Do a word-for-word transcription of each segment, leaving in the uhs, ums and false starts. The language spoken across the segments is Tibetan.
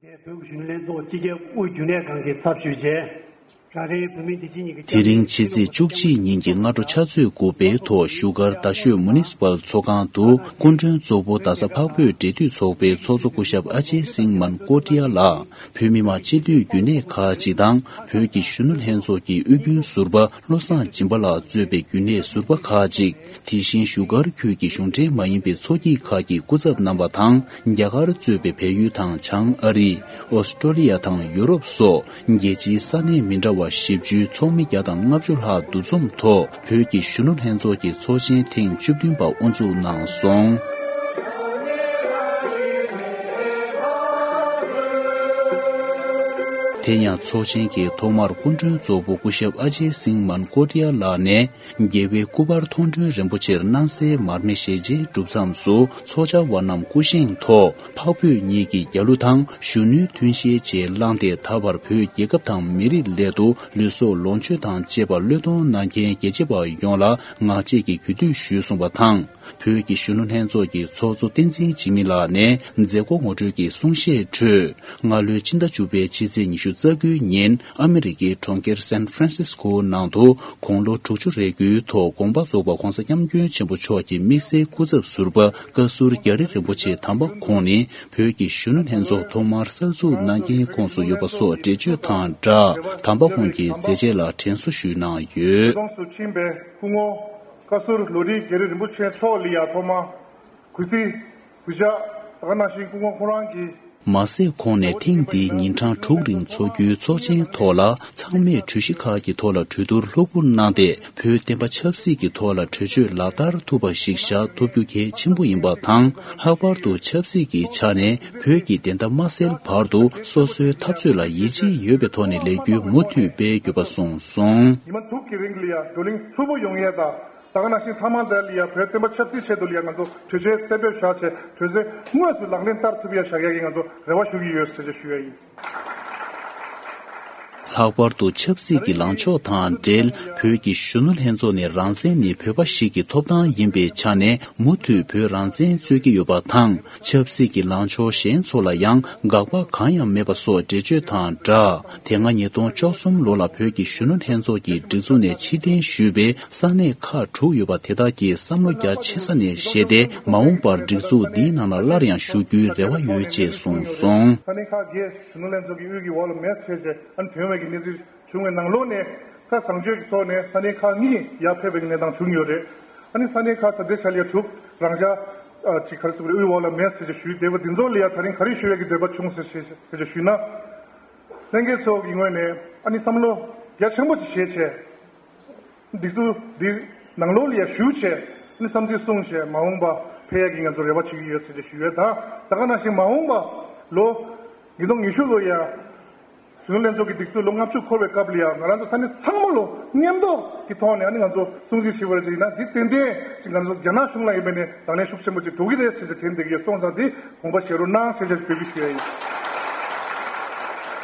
བོད་ཀྱི་གཞོན་ནུ་ལྷན་ཚོགས་སྤྱི་ཁྱབ་དབུས་རྒྱུན་ལས་ཁང་གི་ཚབ་ཞུས་བྱས། རང་རེའི་བོད་མིའི་བདེ་སྐྱིད་ཉིན་གྱི། དེ་རིང་ཕྱི་ཚེས་བཅུ་གཅིག་ཉིན་གྱི་སྔ་དྲོ་ཕྱག་ཚོད་དགུ་པའི་ཐོག་བཞུགས་སྒར་རྡ་ཤོད་མུ་ནི་སི་པལ་ཚོགས་ཁང་དུ་སྐུ་མགྲོན་གཙོ་བོ་རྡ་ས་འཕགས་བོད་འབྲེལ་མཐུད་ཚོགས་པའི་ཚོགས་གཙོ་སྐུ་ཞབས་ཨ་ཇེ་སིང་མན་ཀོ་ཏི་ཡ་ལགས། བོད་མི་མང་སྤྱི་འཐུས་རྒྱུན་ལས་ཁག་ཅིག་དང་བོད་ཀྱི་གཞོན་ནུ་ལྷན་ཚོགས་ཀྱི་དབུས་རྒྱུན་ཟུར་པ་བློ་བཟང་སྦྱིན་པ་ལགས་གཙོས་པའི་རྒྱུན་ལས་ཟུར་པ་ཁག་ཅིག་དེ་བཞིན་བཞུགས་སྒར་ཁུལ་གྱི་གཞུང་འབྲེལ་མ་ཡིན་པའི་ཚོགས་སྐྱིད་ཁག་གི་སྐུ་ཚབ་རྣམ་པ་དང་། རྒྱ་གར་གཙོས་པའི་བལ་ཡུལ་དང་བྱང་ཨ་རི། ཨོ་སི་ཀྲོ་ལི་ཡ་དང་ཡུ་རོབ་སོགས་རྒྱལ་སྤྱིའི་ས་གནས་མི་འདྲ་བ་བཞི་བཅུའི་ཚོགས་མི་བརྒྱ་དང་ལྔ་བཅུ་ལྷག་འདུ་འཛོམས་ཐོག་བོད་ཀྱི་གཞོན་ནུ་ལྷན་ཚོགས་ཀྱི་ཚོགས་ཆེན་ཐེངས་བཅུ་བདུན་པ་དབུ་འཛུགས་གནང་སོང་། དེ་ཡང་ཚོགས་ཆེན་གྱི་ཐོག་མར་སྐུ་མགྲོན་གཙོ་བོ་སྐུ་ཞབས་ཨ་ཇེ་སིང་མན་ཀོ་ཏི་ཡ་ལགས་ནས། རྒྱལ་བའི་སྐུ་པར་མཐོང་གྲོལ་རིན་པོ་ཆེར་སྣང་གསལ་མར་མེ་ཞལ་མཇལ་གྲུབ་མཚམས་སུ་ཚོགས་བཅར་བ་རྣམས་སྐུ་བཞེངས་ཐོག་འཕགས་བོད་གཉིས་ཀྱི་རྒྱལ་གླུ་དང་གཞོན་ནུའི་མཐུན་ཤེས་བཅས་བླངས་ཏེ། ད་བར་བོད་རྒྱལ་ཁབ་དང་མི་རིགས་སླད་དུ་ལུས་སྲོག་ལོངས་སྤྱོད་དང་བཅས་པ་བློས་གཏོང་གནང་མཁན་རྒྱལ་གཅེས་པ་ཡོངས་ལ་ངག་བཅད་ཀྱི་གུས་འདུད་ཞུས་གསུངས་པ་དང་། བོད་ཀྱི་གཞོན་ནུ་ལྷན་ཚོགས་ཀྱི་ཚོགས་གཙོ་བསྟན་འཛིན་འཇིགས་མེད་ལགས་ནས་མཛད་སྒོ་ངོ་སྤྲོད་ཀྱི་གསུང་བཤད་ཁྲོད། སྔ་ལོའི་ཕྱི་ཟླ་བཅུ་པའི་ཕྱི་ཚེས་ཉི་ཤུ་རྩ་དགུའི་ཉིན་ཨ་མི་རི་ཀའི་གྲོང་ཁྱེར་སན་ཧྥ་རན་སིས་ཀོ་ནང་དུ་དགུང་ལོ་དྲུག་ཅུ་རེ་དགུའི་ཐོག་དགོངས་པ་རྫོགས་པ་༧གོང་ས་༧སྐྱབས་མགོན་ཆེན་པོ་མཆོག་གི་དམིགས་བསལ་སྐུ་ཚབ་ཟུར་པ་བཀའ་ཟུར་རྒྱ་རི་རིན་པོ་ཆེ་དམ་པ་ཁོང་ནས་བོད་ཀྱི་གཞོན་ནུ་ལྷན་ཚོགས་ཐོག་མར་གསར་འཛུགས་གནང་རྐྱེན་ཁོངས་སུ་ཡོད་པ་སོགས་འགྲེལ་བརྗོད་དང་སྦྲགས། དམ་པ་ཁོང་གི་མཛད་རྗེས་ལ་དྲན་གསོ་ཞུས་གནང་ཡོད། གོང་དུ་ཕྱིན་པའི་སྐུ་ངོ་བཀའ་ཟུར་ལོ་རི་རྒྱ་རི་རིན་པོ་ཆེ་མཆོག་ལ་ཡང་ཐོག་མར་གུས་བརྩི་གུས་ཕྱག་ད་ག་ནང་བཞིན་སྐུ་ངོ་ཁོ་རང་གིས། མ་ཟད་ཁོང་ནས་ཐེངས་འདིའི་ཉིན་གྲངས་དྲུག་རིང་འཚོགས་རྒྱུའི་ཚོགས་ཆེན་ཐོག་ལ་ཚང་མས་གྲོས་གཞི་ཁག་གི་ཐོག་ལ་གྲོས་བསྡུར་ལྷུག་པོ་གནང་སྟེ། བོད་བསྟན་པ་ཆབ་སྲིད་ཀྱི་ཐོག་ལ་གྲོས་ཆོད་ལག་བསྟར་ཐུབ་པ་ཞིག་བཞག་ཐུབ་རྒྱུ་གལ་ཆེན་པོ་ཡིན་པ་དང་། ལྷག་པར་དུ་ཆབ་སྲིད་ཀྱི་ཆ་ནས་བོད་ཀྱི་བདེན་མཐའ་མ་གསལ་བར་དུ་སོ་སོའི་འཐབ་རྩོད་ལ་ཡིད་ཆེས་ཡོད་པའི་ཐོག་ནས་ལས་འགུལ་མུ་མཐུད་སྤེལ་དགོས་པ་གསུངས་སོང་། ཉི་མ་དྲུག་གི་རིང་ལ་ཡང་བགྲོ་གླེང་ལྷུག་པོ་ཡོང་ཡས་དང་། ད་ག་ནང་བཞིན་ཚང་མ་དེ་ལ་ཡང་བོད་བསྟན་པ་ཆབ་སྲིད་ཆེད་དུ་ལ་ཡང་ང་ཚོ་གྲོས་ཆོད་གསལ་འབེབས་བཞག་བྱས་གྲོས་ཆོད་དངོས་སུ་ལག་ལེན་བསྟར་ཐུབ་ཡ་བཞག་ཡ་གི་ང་ཚོ་རེ་བ་ཞུ་གི་ཡོད་ཟེར་ཅེས་ཞུ་ཡ་ཡིན། ལྷག་པར་དུ་ཆབ་སྲིད་ཀྱི་ལངས་ཕྱོགས་དང་འབྲེལ་བོད་ཀྱི་གཞོན་ནུ་ལྷན་ཚོགས་ནས་རང་བཙན་ནི་བོད་པ་ཞིག་གི་ཐོབ་ཐང་ཡིན་པའི་ཆ་ནས་མུ་མཐུད་བོད་རང་བཙན་རྩོད་ཀྱི་ཡོད་པ་དང་། ཆབ་སྲིད་ཀྱི་ལངས་ཕྱོགས་གཞན་ཚོ་ལ་ཡང་དགག་པ་གང་ཡང་མེད་པ་སོགས་འགྲེལ་བརྗོད་དང་སྦྲགས། དེ་སྔ་ཉིས་སྟོང་བཅུ་གསུམ་ལོ་ལ་བོད་ཀྱི་གཞོན་ནུ་ལྷན་ཚོགས་ཀྱི་སྒྲིག་འཛུགས་ནས་ཕྱིར་འཐེན་ཞུས་པའི་ས་གནས་ཁག་དྲུག་ཡོད་པ་དེ་དག་གིས་བསམ་བློ་རྒྱ་ཆེ་ས་ནས་བཞེས་ཏེ། མ་འོངས་པར་སྒྲིག་འཛུགས་འདིའི་ནང་ལ་སླར་ཡང་ཞུགས་རྒྱུའི་རེ་བ་ཡོད་ཅེས་གསུངས་སོང་། ས་གནས་ཁག་བརྒྱད་གཞོན་ནུ་ལྷན་ཚོགས་ཀྱི་དབུས་ཀྱི་འོག་ལ་མེད་ཟེར་བྱས་ཨ་ནི་ཐོན་པའི་གི་གནས་ཚུལ་བྱུང་བའི་ནང་ལོགས་ནས། ད་བཟང་སྤྱོད་ཀྱི་ཐོག་ནས་ས་གནས་ཁག་གཉིས་ཡར་ཕེབས་པའི་གནས་སྟངས་བྱུང་ཡོད་རེད། ཨ་ནི་ས་གནས་ཁག་ད་ལྟའི་ཆ་ལ་ཡ་དྲུག་རང་འཇགས་ཨ་ཅིག་ག་རེ་ཟེར་དགོས་རེད། དབུས་འོག་ལ་མེད་ཟེར་ཅིག་ཞུས་བསྡད་པ་འདི་ཚོ་ལ་ཡ་ད་རིང་ག་རེ་ཞུ་ཡས་ཀྱི་འདོད་པ་བྱུང་ཟེར་ཞེས་ཟེར་ཅིག་ཞུས་ན། ལྷན་རྒྱས་ཚོ་གི་ངོས་ནས་ཨ་ནི་བསམ་བློ་རྒྱ་ཆེན་པོ་ཅིག་བཞེས་བྱས། སྒྲིག་འཛུགས་འདི་ནང་ལོགས་ལ་ཡ་ཞུགས་བྱས་ཨ་ནི་བསམ་ཚུལ་གསུངས་བྱས་མ་འོངས་པ་ཕེབས་ཡས་ཀྱི་ང་ཚོ་རེ་བ་བྱེད་ཀྱི་ཡོད་ཟེར་ཅིག་ཞུ་ཡས་དང་། ད་ག་ནང་བཞིན་མ་འོངས་པ་ལོ་ཉིས་སྟོང་ཉི་ཤུ་ལོ་ཡ། གཞོན་ནུ་ལྷན་ཚོགས་ཀྱི་སྒྲིག་འཛུགས་ལོ་ལྔ་བཅུ་འཁོར་བའི་སྐབས་ལ་ཡང་ང་རང་ཚོ་ས་གནས་ཚང་མ་ལོ་མཉམ་འདོགས་ཀྱི་ཐོག་ནས་ཨ་ནི་ང་ཚོ་སྲུང་བརྩི་ཞུས་པ་རེད་ཅེ་ན། འདི་ཏན་ཏན་ཅིག་ང་ཚོ་རྒྱ་ནག་གཞུང་ལ་ཡིན་པ་ནས་དང་ལེན་ཤུགས་ཆེན་པོ་ཅིག་འགྲོ་གི་རེད་ཟེར་ཏེ་དྲན་བསྡད་ཀྱི་ཡོད། སོང་ཙང་འདི་དགོངས་པ་བཞེས་རོགས་གནང་ཟེར་ཅེས་འབོད་སྐུལ་ཞུ་ཡ་ཡིན།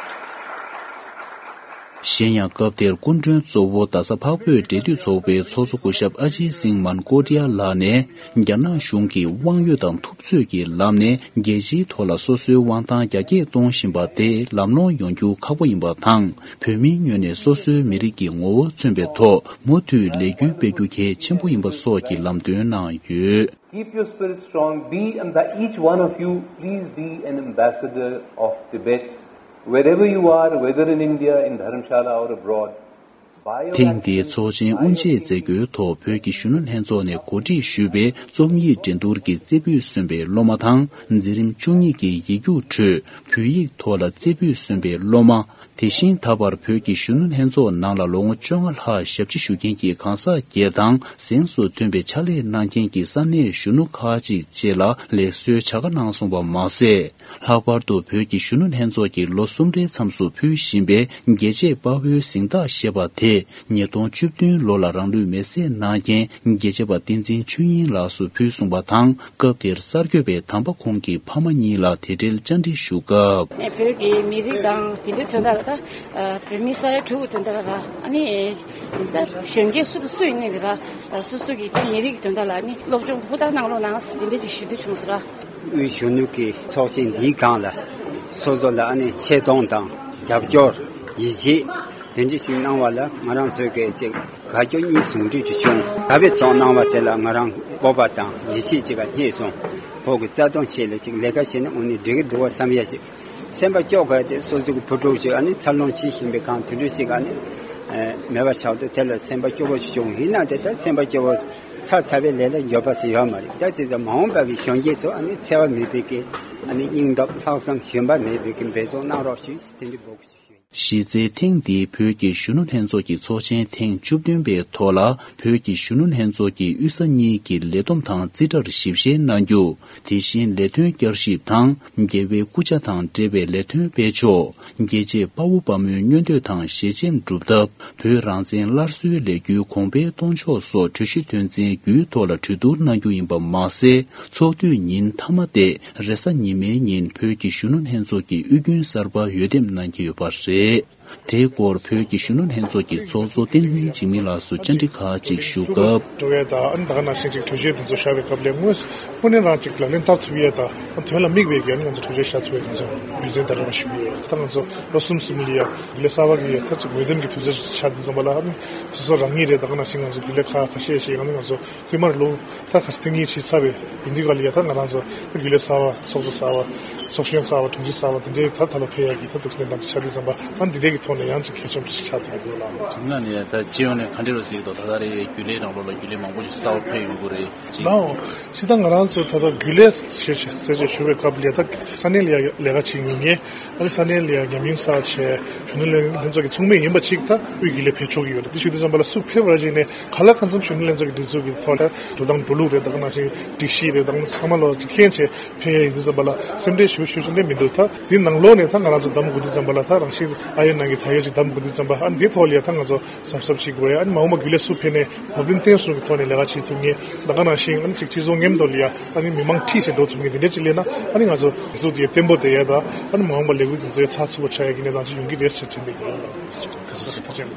གཞན་ཡང་སྐབས་དེར་སྐུ་མགྲོན་གཙོ་བོ་རྡ་ས་འཕགས་བོད་འབྲེལ་མཐུད་ཚོགས་པའི་ཚོགས་གཙོ་སྐུ་ཞབས་ཨ་ཇི་སིང་མན་ཀོ་ཏི་ཡ་ལགས་ནས། རྒྱ་ནག་གཞུང་གིས་དབང་ཡོད་དང་ཐུབ་ཚོད་ཀྱི་ལམ་ནས་རྒྱལ་སྤྱིའི་ཐོག་ལ་སོ་སོའི་དབང་ཐང་རྒྱ་སྐྱེད་གཏོང་བཞིན་པ་དེ་ལམ་ལྷོང་ཡོང་རྒྱུ་ཁག་པོ་ཡིན་པ་དང་། བོད་མིའི་ངོས་ནས་སོ་སོའི་མི་རིགས་ཀྱི་ངོ་བོ་མཚོན་པའི་ཐོག་མུ་མཐུད་ལས་འགུལ་སྤེལ་རྒྱུ་གལ་ཆེན་པོ་ཡིན་པ་སོགས་ཀྱི་ལམ་སྟོན་གནང་ཡོད། Keep your spirit strong. Be, and that each one of you, please be an ambassador of Tibet, wherever you are, whether in India, in Dharamshala, or abroad. ཐེངས་འདིའི་ཚོགས་ཆེན་དབུ་འབྱེད་མཛད་སྒོའི་ཐོག་བོད་ཀྱི་གཞོན་ནུ་ལྷན་ཚོགས་ནས་གོ་སྒྲིག་ཞུས་པའི་རྩོམ་ཡིག་འགྲན་བསྡུར་གྱི་རྩེ་ཕུད་སོན་པའི་སློབ་མ་དང་། འཛིན་རིམ་བཅུ་གཉིས་ཀྱི་ཡིག་རྒྱུགས་ཁྲོད་བོད་ཡིག་ཐོག་ལ་རྩེ་ཕུད་སོན་པའི་སློབ་མ། དེ་བཞིན་ད་བར་བོད་ཀྱི་གཞོན་ནུ་ལྷན་ཚོགས་ནང་ལ་ལོ་ངོ་བཅོ་ལྔ་ལྷག་ཞབས་ཕྱི་ཞུ་མཁན་གྱི་གང་ཟག་སྒེར་དང་། གཟེངས་སུ་ཐོན་པའི་ཕྱག་ལས་གནང་མཁན་གྱི་ས་གནས་གཞོན་ནུ་ཁག་ཅིག་བཅས་ལ་ལེགས་གསོའི་བྱ་དགའ་གནང་སོང་བ་མ་ཟད། ལྷག་པར་དུ་བོད་ཀྱི་གཞོན་ནུ་ལྷན་ཚོགས་ཀྱིས་ལོ་གསུམ་རེའི་མཚམས་སུ་ཕུལ་བཞིན་པའི་རྒྱལ་གཅེས་དཔའ་བོའི་གཟེངས་རྟགས་ཞེས་པ་དེ་ཉིས་སྟོང་བཅུ་བདུན་ལོ་ལ་རང་ལུས་མེར་སྲེག་གནང་མཁན་རྒྱལ་གཅེས་པ་བསྟན་འཛིན་ཆོས་དབྱིངས་ལགས་སུ་ཕུལ་གསུངས་པ་དང་། སྐབས་དེར་གསར་འགོད་པས་དམ་པ་ཁོང་གི་ཕ་མ་གཉིས་ལ་དེ་འབྲེལ་བཅར་འདྲི་ཞུ་སྐབས། ནས་བོད་ཀྱི་མི་རིགས་དང་དེ་འདྲའི་དོན་དག་ལ་ད་བོད་མི་ས་ཡ་དྲུག་གི་དོན་དག་ལ་ཨ་ནི་ད་གཞོན་སྐྱེས་སུ་དང་སུ་ཡིན་ནའི་ལ་སོ་སོ་གི་ད་མི་རིགས་ཀྱི་དོན་དག་ལ་ནི་སློབ་སྦྱོང་ཧུར་ཐག་གནང་རོགས་གནང་ཟེར་དེ་འདྲ་ཅིག་ཞུ་འདོད་བྱུང་སོང་ར། དབུས་གཞོན་ནུ་གི་ཚོགས་ཆེན་འདིའི་སྒང་ལ་ སོ་སོ་ལ་ཨ་ནི་ཆེ་མཐོང་དང་རྒྱབ་སྐྱོར་ཡིད་ཆེས་དེ་འདྲ་ཞིག་གནང་བ་ལ་ང་རང་ཚོས་ཀྱི་ཅིག་དགའ་སྐྱོ་གཉིས་ཟུང་འབྲེལ་དུ་བྱུང་། ད་བེད་ཚོགས་གནང་བ་དེ་ལ་ང་རང་སྤོབས་པ་དང་ཡིད་ཆེས་ཅིག་ག་རྙེད་སོང་། བོད་ཀྱི་རྩ་དོན་ཆེད་ལ་ཅིག་ལས་ཀ་བྱས་ན་དངོས་གནས་འགྲིག་གི་འདུག་བ་བསམ་ཡ་ཞིག་སེམས་པ་སྐྱོ་ག་དེ་སོ་སོ་གི་བུ་ཕྲུག་ཅིག་ཨ་ནི་འཚར་ལོངས་བྱེད་བཞིན་པའི་སྒང་དེ་འདྲ་ཞིག་ཨ་ནི་མེད་པ་ཆགས་དུས་དེ་ལ་སེམས་པ་སྐྱོ་བོ་ཞིག་བྱུང་། ཡིན་ན་དེ་ལྟར་སེམས་པ་སྐྱོ་བོ་ཚར་ཚར་བའི་ལས་ལ་འགྱོད་པ་ཟེར་ཡོད་མ་རེད། ད་ཅི་ལྟར་མ་འོངས་པ་གི་གཞོན་སྐྱེས་ཚོ་ཨ་ནི་འཚེ་བ་མེད་པའི་གི་ཨ་ནི་སྙིང་སྟོབས་ལྷག་བསམ་ཞུམ་པ་མེད་པའི་གི་འབད་བརྩོན་གནང་རོགས་ཞུས། དེ་འདྲ་འབོད་སྐུལ་ཞུ། གཞི་རྩའི་ཐེངས་འདིའི་བོད་ཀྱི་གཞོན་ནུ་ལྷན་ཚོགས་ཀྱི་ཚོགས་ཆེན་ཐེངས་བཅུ་བདུན་པའི་ཐོག་ལ་བོད་ཀྱི་གཞོན་ནུ་ལྷན་ཚོགས་ཀྱི་དབུས་ས་གཉིས་ཀྱི་ལས་བསྡོམས་དང་རྩིས་ཁྲར་ཞིབ་བཤེར་གནང་རྒྱུ། དེ་བཞིན་ལས་དོན་བསྐྱར་ཞིབ་དང་རྒྱལ་བའི་སྐུ་ཕྱྭ་དང་འབྲེལ་བའི་ལས་དོན་སྤེལ་ཕྱོགས། རྒྱལ་གཅེས་དཔའ་བོ་དཔའ་མོའི་མངོན་འདོད་དང་ཞལ་ཆེམས་སྒྲུབ་ཐབས། བོད་རང་བཙན་སླར་གསོའི་ལས་འགུལ་གོང་འཕེལ་གཏོང་ཕྱོགས་སོགས་གྲོས་གཞི་དོན་ཚན་དགུའི་ཐོག་ལ་གྲོས་བསྡུར་གནང་རྒྱུ་ཡིན་པ་མ་ཟད། ཚོགས་དུས་ཉིན་མཐའ་མ་སྟེ་རེས་གཟའ་ཉི་མའི་ཉིན་བོད་ཀྱི་གཞོན་ནུ་ལྷན་ཚོགས་ཀྱི་དབུས་རྒྱུན་གསར་པ་འོས་འདེམས་གནང་གི་ཡོད་པ་རེད། དེའི་སྐོར་བོད་ཀྱི་གཞོན་ནུ་ལྷན་ཚོགས་ཀྱི་ཚོགས་གཙོ་བསྟན་འཛིན་འཇིགས་མེད་ལགས་སུ་བཅར་འདྲི་ཁག་ཅིག་ཞུ་སྐབས། འགྲོ་བའི་ད་ཨ་ནི་ད་ག་ནང་བཞིན་ཅིག་གྲོས་ཆོད་དེ་ཚོ་བཞག་པའི་སྐབས་ལ་དངོས་དངོས་གནས་རང་ཅིག་ལག་ལེན་བསྟར་ཐུབ་ཡས་ད་ད་དོན་ལ་དམིགས་པའི་གི་ཨ་ནི་ང་ཚོ་གྲོས་ཆོད་བཞག་ཐུབ་ཡས་ང་ཚོ་རྒྱུ་མཚན་ད་རེ་བ་ཞུ་གི་ཡོད། ད་ང་ཚོ་ལོ་གསུམ་གསུམ་ལ་ཡ་རྒྱུན་ལས་གསར་པ་གི་ཡ་ད་ཅིག་འོས་འདེམས་ཀྱི་དུས་ཚོད་ཆགས་དུས་ཙམ་པ་ལ་ཨ་ནི་སོ་སོ་རང་ཉིད་རེད། ད་ག་ནང་བཞིན་ང་ཚོ་རྒྱུན་ལས་ཁག་ཁ་ཤས་ཤིག་ཨ་ནི་ང་ཚོ་ཐོག་མར་ལོ་ད་ཁ་སང་ཐེངས་གཉིས་ཕྱིན་ཚར་བའི་ཡིན་དུས་ག་ལ་ཡ་ད་ང་རང་ཚོ་ད་རྒྱུན་ལས་གསར་བ་ཚོགས་གཙོ་གསར་བ་ཚོགས་གཞོན་གསར་བ་དྲུང་ཆེ་གསར་བ་དེ་འདྲའི་ད་ད་ལོ་ཕེབས་ཡག་གི་ད་འདུག་སེ་གནས་སྟངས་ཅིག་ཆགས་དུས་ཙམ་པ་ཨ་འདི་འདྲའི་གི་ཐོག་ནས་ཡང་ཅིག་གལ་ཆེན་པོ་ཞིག་ཆགས་ཐུབ་ཀྱི་འདུག་ལགས། ང་ནས་ད་སྤྱི་ཡོངས་ནས་ག་འདྲ་རེད་ཟེར་གི་འདུག་ད་ལྟ་རེ་རྒྱུན་ལས་ནང་ལོགས་ལ་རྒྱུན་ལས་མང་པོ་ཞིག་གསར་བ་ཕེབས་ཡོང་གི་རེད་ཅིང་། ལའོ། སྤྱིར་བཏང་ང་རང་ཚོ་ད་ལྟ་རྒྱུན་ལས་ཟེར་ཟེར་བྱས་ཞུ་བའི་སྐབས་ལ་ད་ས་གནས་ལ་ཡ་ལས་ཀ་བྱེད་མཁན། ཨ་ནི་ས་གནས་ལ་ཡང་ཉམས་མྱོང་བསགས་བྱས་གཞོན་ནུ་ལྷན་ལྷན་ཚོགས་ཀྱི་ཚོགས་མི་ཡིན་པ་ཅིག་ད་དབུས་རྒྱུན་ལས་ཕེབས་ཆོག་གི་ཡོད་རེད། དེ་ཞུ་དུས་ཙམ་པ་ལ་སུ་ཕེབས་ར་ཅིག་ནས་ག་ལ་གང་འཚམ་གཞོན་ནུ་ལྷན་ཚོགས་ཀྱི་སྒྲིག་འཛུགས་ཀྱི་ཐོག་ལ་འགྲོ་སྟངས་འགྲོ་ལུགས་རེད། ད་ག་ནང་བཞིན་སྒྲིག་གཞི་རེད། ད་ག་ཚང་མ་ལོ་མཁྱེན་བྱས་ཕེབས་ཡ་ཡིན་དུས་ཙམ་པ་ལ་སེམས་ཁྲལ་ཞུ་ཞུ་ཞུ་ནས་མི་འདུག་ད་དེ་ནང་ལོགས་ནས་ད་ང་རང་ཚོ་འདེམས་དགོས་དུས་ཙམ་པ་ལ་ད་རང་བཞིན་ཨ་ཡོད་ནང་གི་ད་ཡོད་ཅིག་འདེམས་དགོས་དུས་ཙམ་པ་ཨ་ནི་དེའི་ཐོག་ལ་ཡ་ད་ང་ཚོ་གཟབ་གཟབ་བྱེད་དགོས་ཡ། ཨ་ནི་མ་འོངས་པ་རྒྱུན་ལས་སུ་ཕེབས་ནས་བབ་བརླིང་བརྟན་སྲུང་གི་ཐོག་ནས་ལས་ཀ་བྱེད་ཐུབ་མཁན། ད་ག་ནང་བཞིན་ཨ་ནི་ཅིག་སྤྱི་ཚོགས་མཉམ་དུ་ལ་ཡ་ཨ་ནི་མི་མང་འཁྲིད་བྱས་འགྲོ་ཐུབ་མཁན་དེ་འདྲ་ཅིག་སླེབས་ན་ཨ་ནི་ང་ཚོ་སྒྲིག་འཛུགས་དེ་བརྟན་པོ་བསྡད་ཡ་ད་ཨ་ནི་མ་འོངས་པ་ལས་འགུལ་དེ་ཚོ་ཡ་ཚགས་ཚུད་པོ་ཆགས་ཡ་གི་གནས་སྟངས་ཅིག་ཡོང་གི་རེད་ཟེར་དྲན་བསྡད་ཀྱི་ཡོད། ཐུགས་རྗེ་ཆེ།